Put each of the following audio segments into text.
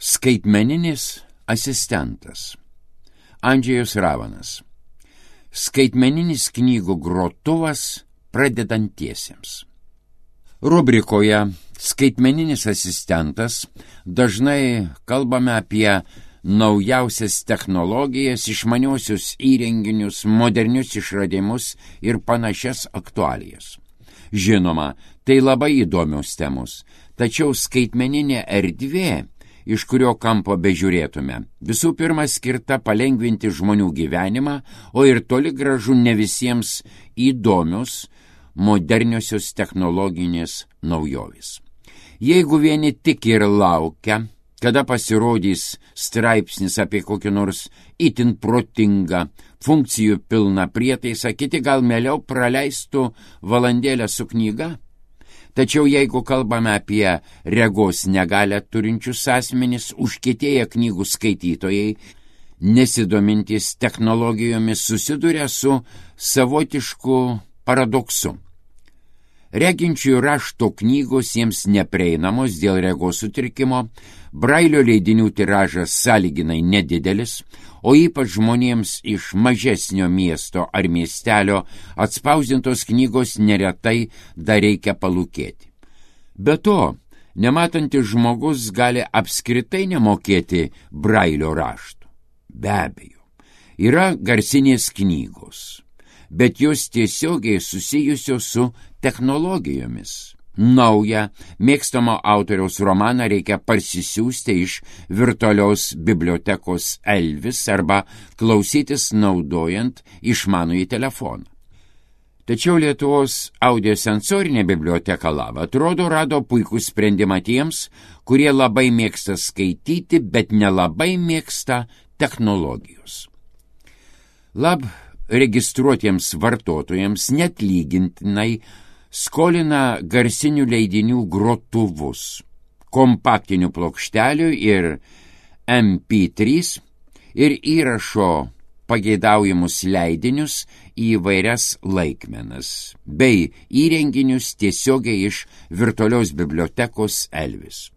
Skaitmeninis asistentas. Andžejus Ravanas. Skaitmeninis knygų grotuvas pradedantiesiems. Rubrikoje Skaitmeninis asistentas dažnai kalbame apie naujausias technologijas, išmaniuosius įrenginius, modernius išradimus ir panašias aktualijas. Žinoma, tai labai įdomios temos, tačiau skaitmeninė erdvė, iš kurio kampo bežiūrėtume, visų pirma skirta palengvinti žmonių gyvenimą, o ir toli gražu ne visiems įdomios moderniosios technologinės naujovės. Jeigu vieni tik ir laukia, kada pasirodys straipsnis apie kokį nors itin protingą, funkcijų pilną prietaisą, kiti gal mieliau praleistų valandėlę su knyga. Tačiau jeigu kalbame apie regos negalią turinčius asmenis, užkietėję knygų skaitytojai, nesidomintys technologijomis, susiduria su savotišku paradoksu. Reginčiųjų rašto knygos jiems neprieinamos dėl regos sutrikimo, Brailio leidinių tiražas sąlyginai nedidelis, o ypač žmonėms iš mažesnio miesto ar miestelio atspausdintos knygos neretai dar reikia palūkėti. Be to, nematantis žmogus gali apskritai nemokėti Brailio raštų. Be abejo, yra garsinės knygos, bet jos tiesiogiai susijusios su technologijomis. Naują, mėgstamo autoriaus romaną reikia parsisiųsti iš virtualios bibliotekos Elvis arba klausytis naudojant išmanųjį telefoną. Tačiau Lietuvos audiosensorinė biblioteka Lava atrodo rado puikų sprendimą tiems, kurie labai mėgsta skaityti, bet nelabai mėgsta technologijos. Lab registruotiems vartotojams netlygintinai skolina garsinių leidinių grotuvus, kompaktinių plokštelių ir MP3 ir įrašo pageidaujamus leidinius į įvairias laikmenas, bei įrenginius tiesiogiai iš virtualios bibliotekos Elvis.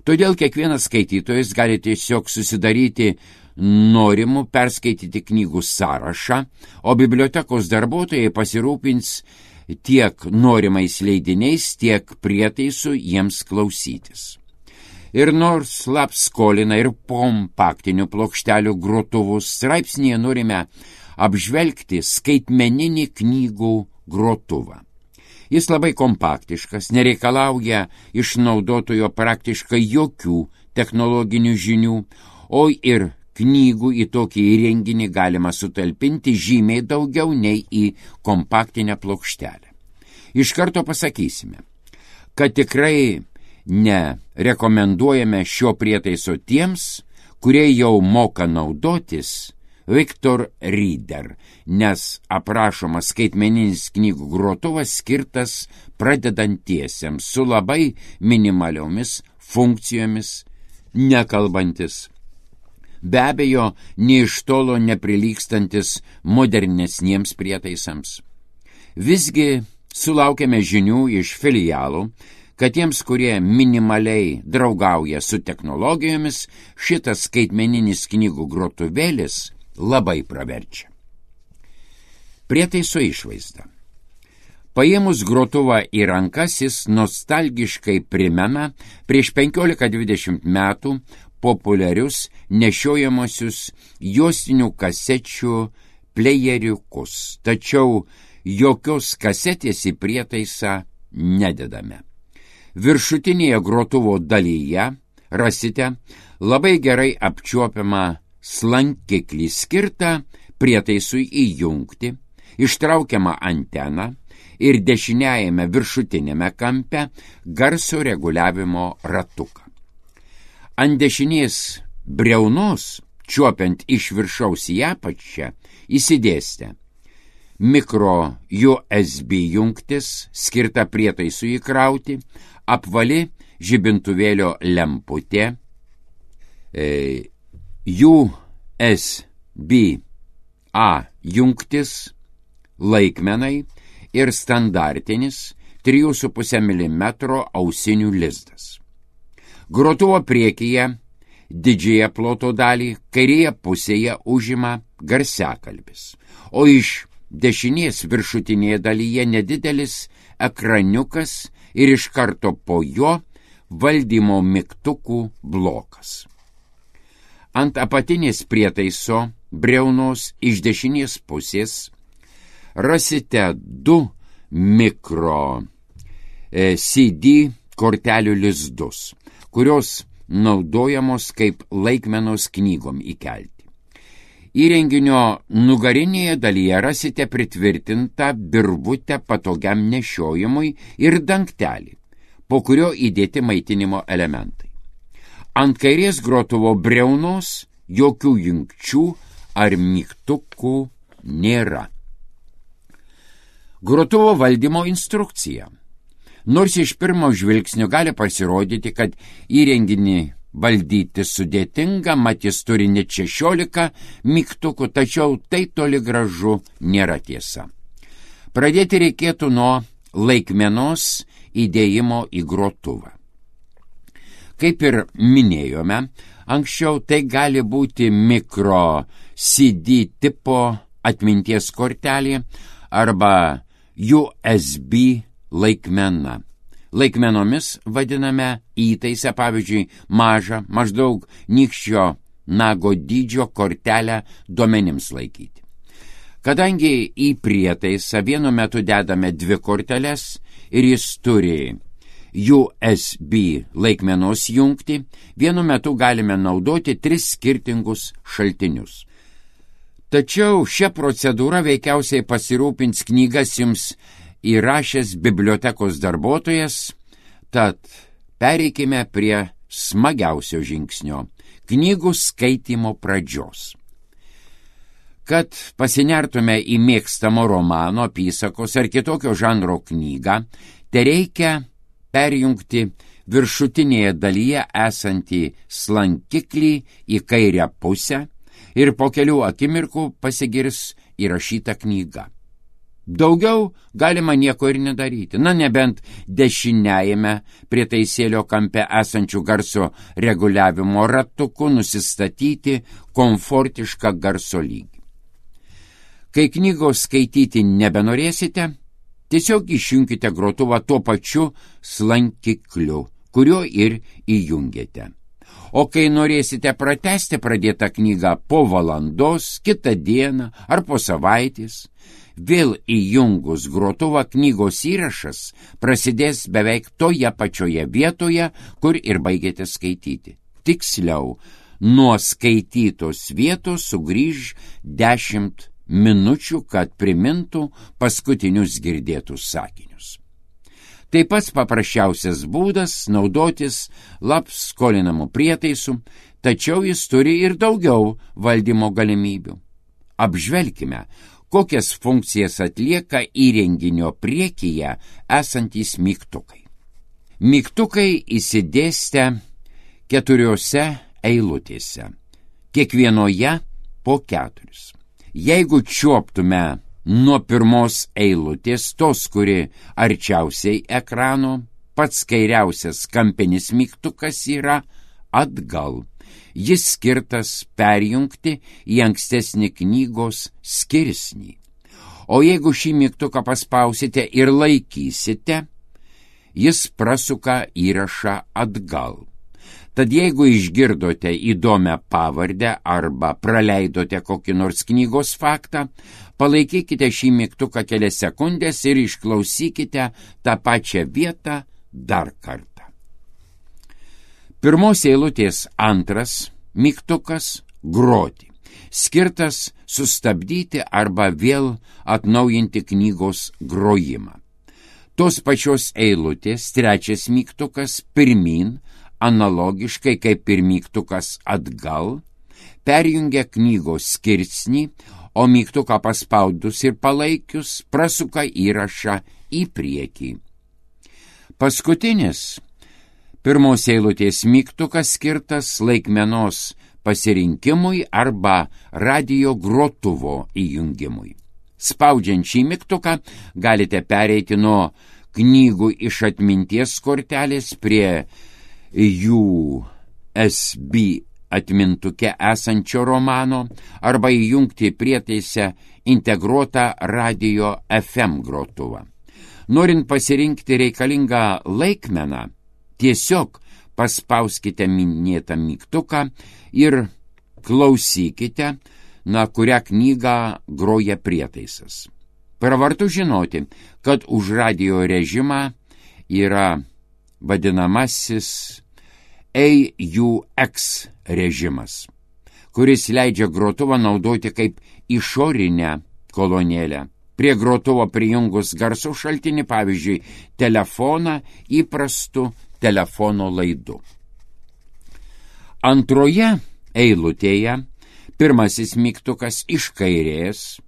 Todėl kiekvienas skaitytojas gali tiesiog susidaryti norimų perskaityti knygų sąrašą, o bibliotekos darbuotojai pasirūpins tiek norimais leidiniais, tiek prietaisų jiems klausytis. Ir nors Lab skolina ir kompaktinių plokštelių grotuvus, straipsnėje norime apžvelgti skaitmeninį knygų grotuvą. Jis labai kompaktiškas, nereikalauja iš naudotojo praktiškai jokių technologinių žinių, o ir knygų į tokį įrenginį galima sutalpinti žymiai daugiau nei į kompaktinę plokštelę. Iš karto pasakysime, kad tikrai nerekomenduojame šio prietaiso tiems, kurie jau moka naudotis Victor Reader, nes aprašomas skaitmeninis knygų grotuvas skirtas pradedantiesiems su labai minimaliomis funkcijomis, nekalbantis. Be abejo, nė iš tolo neprilygstantis modernesniems prietaisams. Visgi sulaukėme žinių iš filialų, kad tiems, kurie minimaliai draugauja su technologijomis, šitas skaitmeninis knygų grotuvėlis labai praverčia. Prietaiso išvaizda. Paėmus grotuvą į rankas, jis nostalgiškai primena prieš 15-20 metų populiarius nešiojamosius juostinių kasečių plejeriukus, tačiau jokios kasetės į prietaisą nededame. Viršutinėje grotuvo dalyje rasite labai gerai apčiuopiamą slankiklį skirtą prietaisui įjungti, ištraukiamą anteną ir dešiniajame viršutinėme kampe garso reguliavimo ratuką. Ant dešinės briaunos, čiuopiant iš viršaus į apačią, įsidėstę mikro USB jungtis, skirta prietaisui įkrauti, apvali žibintuvėlio lemputė, USB-A jungtis, laikmenai ir standartinis 3,5 mm ausinių lizdas. Grotuvo priekyje didžiąją ploto dalį kairėje pusėje užima garsiakalbis, o iš dešinės viršutinėje dalyje nedidelis ekraniukas ir iš karto po jo valdymo mygtukų blokas. Ant apatinės prietaiso briaunos iš dešinės pusės rasite 2 mikro CD kortelių lizdus, kurios naudojamos kaip laikmenos knygom įkelti. Įrenginio nugarinėje dalyje rasite pritvirtintą virvutę patogiam nešiojimui ir dangtelį, po kurio įdėti maitinimo elementai. Ant kairės grotuvo briaunos jokių jungčių ar mygtukų nėra. Grotuvo valdymo instrukcija. Nors iš pirmo žvilgsnio gali pasirodyti, kad įrenginį valdyti sudėtinga, mat jis turi net 16 mygtukų, tačiau tai toli gražu nėra tiesa. Pradėti reikėtų nuo laikmenos įdėjimo į grotuvą. Kaip ir minėjome, anksčiau tai gali būti mikro CD tipo atminties kortelė arba USB laikmena. Laikmenomis vadiname įtaisę, pavyzdžiui, mažą, maždaug nykščio nago dydžio kortelę duomenims laikyti. Kadangi į prietaisą vienu metu dedame 2 korteles ir jis turi USB laikmenos jungtį, vienu metu galime naudoti 3 skirtingus šaltinius. Tačiau šią procedūrą veikiausiai pasirūpins knygas jums įrašęs bibliotekos darbuotojas, tad pereikime prie smagiausio žingsnio – knygų skaitymo pradžios. Kad pasinertume į mėgstamo romano, apysakos ar kitokio žanro knygą, tereikia perjungti viršutinėje dalyje esantį slankiklį į kairę pusę ir po kelių akimirkų pasigirs įrašyta knyga. Daugiau galima nieko ir nedaryti, nebent dešiniajame prietaisėlio kampe esančių garso reguliavimo ratuku nusistatyti komfortišką garso lygį. Kai knygos skaityti nebenorėsite, tiesiog išjunkite grotuvą tuo pačiu slankikliu, kuriuo ir įjungėte. O kai norėsite pratęsti pradėtą knygą po valandos, kitą dieną ar po savaitės, vėl įjungus grotuvą knygos įrašas prasidės beveik toje pačioje vietoje, kur ir baigėte skaityti. Tiksliau, nuo skaitytos vietos sugrįž 10 minučių, kad primintų paskutinius girdėtus sakinius. Tai pats paprasčiausias būdas naudotis skolinamu prietaisu, tačiau jis turi ir daugiau valdymo galimybių. Apžvelkime, kokias funkcijas atlieka įrenginio priekyje esantys mygtukai. Mygtukai įsidėstę 4 eilutėse, kiekvienoje po 4. Jeigu čiuoptume nuo pirmos eilutės, tos, kuri arčiausiai ekrano, pats kairiausias kampinis mygtukas yra atgal. Jis skirtas perjungti į ankstesnį knygos skirsnį. O jeigu šį mygtuką paspausite ir laikysite, jis prasuka įrašą atgal. Tad jeigu išgirdote įdomią pavardę arba praleidote kokį nors knygos faktą, palaikykite šį mygtuką kelias sekundės ir išklausykite tą pačią vietą dar kartą. Pirmos eilutės 2 mygtukas groti, skirtas sustabdyti arba vėl atnaujinti knygos grojimą. Tos pačios eilutės 3 mygtukas pirmyn, analogiškai kaip ir mygtukas atgal, perjungia knygos skirsnį, o mygtuką paspaudus ir palaikius prasuka įrašą į priekį. Paskutinis pirmos eilutės mygtukas skirtas laikmenos pasirinkimui arba radio grotuvo įjungimui. Spaudžiant šį mygtuką galite pereiti nuo knygų iš atminties kortelės prie USB atmintuke esančio romano arba įjungti prietaise integruotą radio FM grotuvą. Norint pasirinkti reikalingą laikmeną, tiesiog paspauskite minėtą mygtuką ir klausykite, kurią knygą groja prietaisas. Pravartu žinoti, kad už radio režimą yra vadinamasis AUX režimas, kuris leidžia grotuvą naudoti kaip išorinę kolonėlę. Prie grotuvo prijungus garso šaltinį, pavyzdžiui, telefoną įprastu telefono laidu. Antroje eilutėje pirmasis mygtukas iš kairės,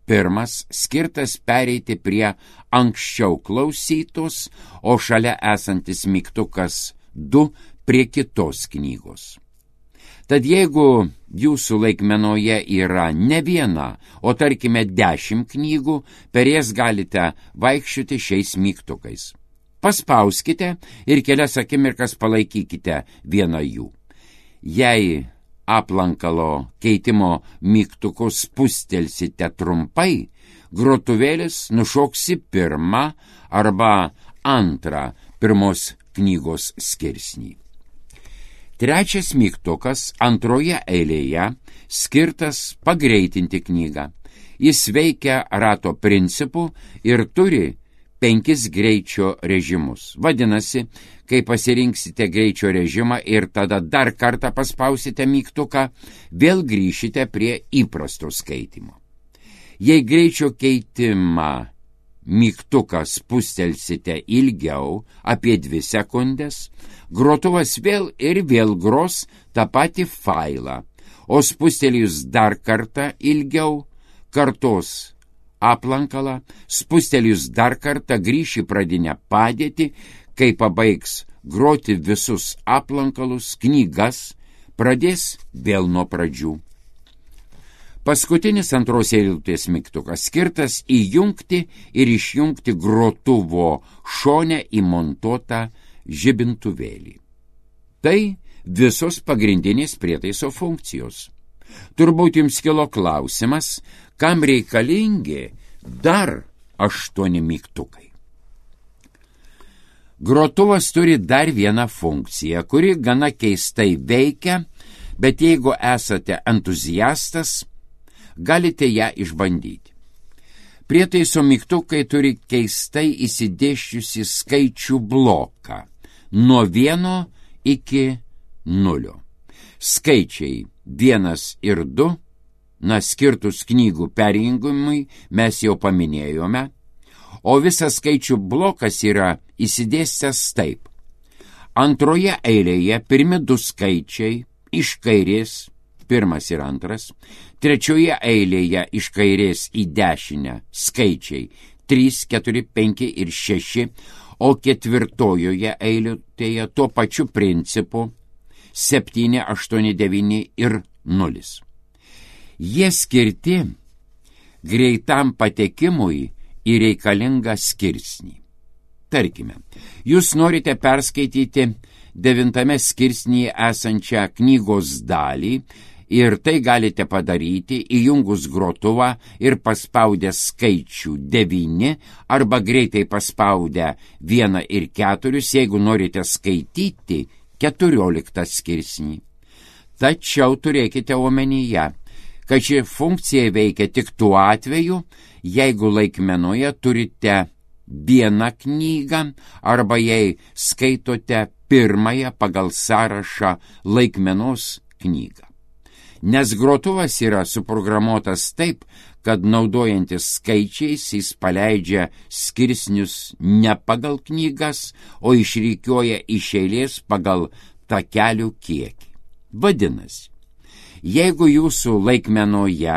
pirmas skirtas pereiti prie anksčiau klausytos, o šalia esantis mygtukas 2 prie kitos knygos. Tad jeigu jūsų laikmenoje yra ne viena, o tarkime 10 knygų, per jas galite vaikščioti šiais mygtukais. Paspauskite ir kelias akimirkas palaikykite vieną jų. Jei aplankalo keitimo mygtukus spustelsite trumpai, grotuvėlis nušoksi pirmą arba antrą pirmos knygos skirsnį. Trečias mygtukas antroje eilėje skirtas pagreitinti knygą. Jis veikia rato principu ir turi 5 greičio režimus. Vadinasi, kai pasirinksite greičio režimą ir tada dar kartą paspausite mygtuką, vėl grįšite prie įprasto skaitimo. Jei greičio keitimą mygtuką spustelsite ilgiau, apie 2 sekundės, grotuvas vėl ir vėl gros tą patį failą, o spustelijus dar kartą ilgiau, kartos aplankalą, spustelijus dar kartą grįš į pradinę padėtį, kai pabaigs groti visus aplankalus, knygas, pradės vėl nuo pradžių. Paskutinis antros eilutės mygtukas skirtas įjungti ir išjungti grotuvo šone įmontuotą žibintuvėlį. Tai visos pagrindinės prietaiso funkcijos. Turbūt jums kilo klausimas, kam reikalingi dar 8 mygtukai. Grotuvas turi dar vieną funkciją, kuri gana keistai veikia, bet jeigu esate entuziastas, galite ją išbandyti. Prietaiso mygtukai turi keistai įsidėsčiusi skaičių bloką nuo 1 iki 0. Skaičiai 1 ir 2, skirtus knygų perjungimui mes jau paminėjome, o visas skaičių blokas yra įsidėstęs taip. Antroje eilėje pirmi 2 skaičiai iš kairės, 1 ir 2, trečioje eilėje iš kairės į dešinę skaičiai 3, 4, 5 ir 6, o ketvirtojoje eilutėje tuo pačiu principu 7, 8, 9 ir 0. Jie skirti greitam patekimui į reikalingą skirsnį. Tarkime, jūs norite perskaityti 9 skirsnyje esančią knygos dalį ir tai galite padaryti įjungus grotuvą ir paspaudę skaičių 9 arba greitai paspaudę 1 ir 4, jeigu norite skaityti 14 skirsnį. Tačiau turėkite omenyje, kad ši funkcija veikia tik tuo atveju, jeigu laikmenoje turite 1 knygą arba jei skaitote 1 pagal sąrašą laikmenos knygą. Nes grotuvas yra suprogramuotas taip, kad naudojantis skaičiais jis paleidžia skirsnius ne pagal knygas, o išrikiuoja iš eilės pagal takelių kiekį. Vadinasi, jeigu jūsų laikmenoje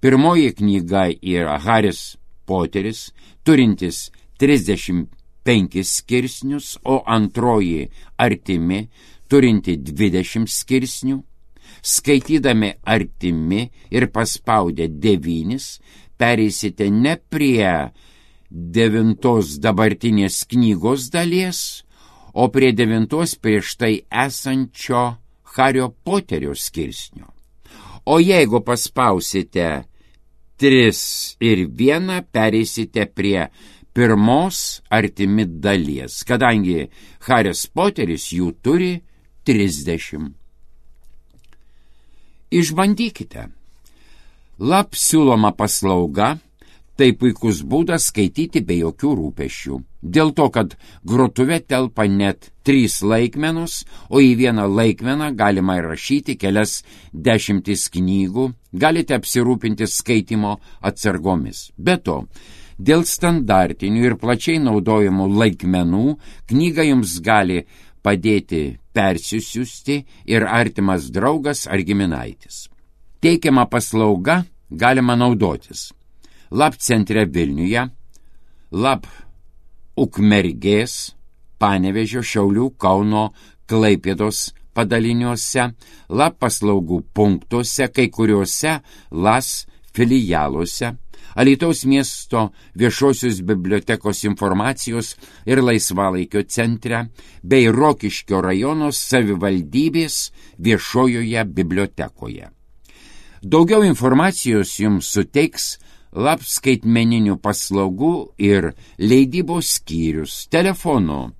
pirmoji knyga yra Haris Poteris, turintis 35 skirsnius, o antroji Artimi, turinti 20 skirsnių, skaitydami Artimi ir paspaudę 9, pereisite ne prie 9 dabartinės knygos dalies, o prie 9 prieš tai esančio Hario Poterio skirsnio. O jeigu paspausite 3 ir 1, pereisite prie pirmos artimi dalies, kadangi Haris Poteris jų turi 30. Išbandykite. Lap siūloma paslauga – tai puikus būdas skaityti be jokių rūpesčių. Dėl to, kad grotuve telpa net 3 laikmenos, o į vieną laikmeną galima įrašyti kelias 10 knygų, galite apsirūpinti skaitimo atsargomis. Be to, dėl standartinių ir plačiai naudojamų laikmenų knygą jums gali padėti persisiųsti ir artimas draugas ar giminaitis. Teikiama paslauga galima naudotis Lap centre Vilniuje, Lap Ukmergės, Panevėžio, Šiaulių, Kauno, Klaipėdos padaliniuose, Lap paslaugų punktuose, kai kuriuose LAS filialuose, Alytaus miesto viešosios bibliotekos informacijos ir laisvalaikio centre bei Rokiškio rajono savivaldybės viešojoje bibliotekoje. Daugiau informacijos jums suteiks Lap skaitmeninių paslaugų ir leidybos skyrius telefonu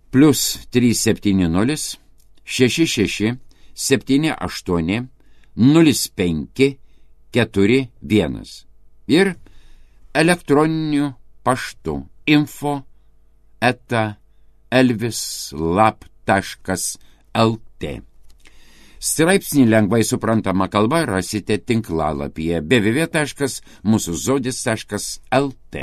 +370 66 78 05 41 ir elektroniniu paštu info@elvislap.lt. Straipsnį lengvai suprantama kalba rasite tinklalapyje www.musuzodis.lt.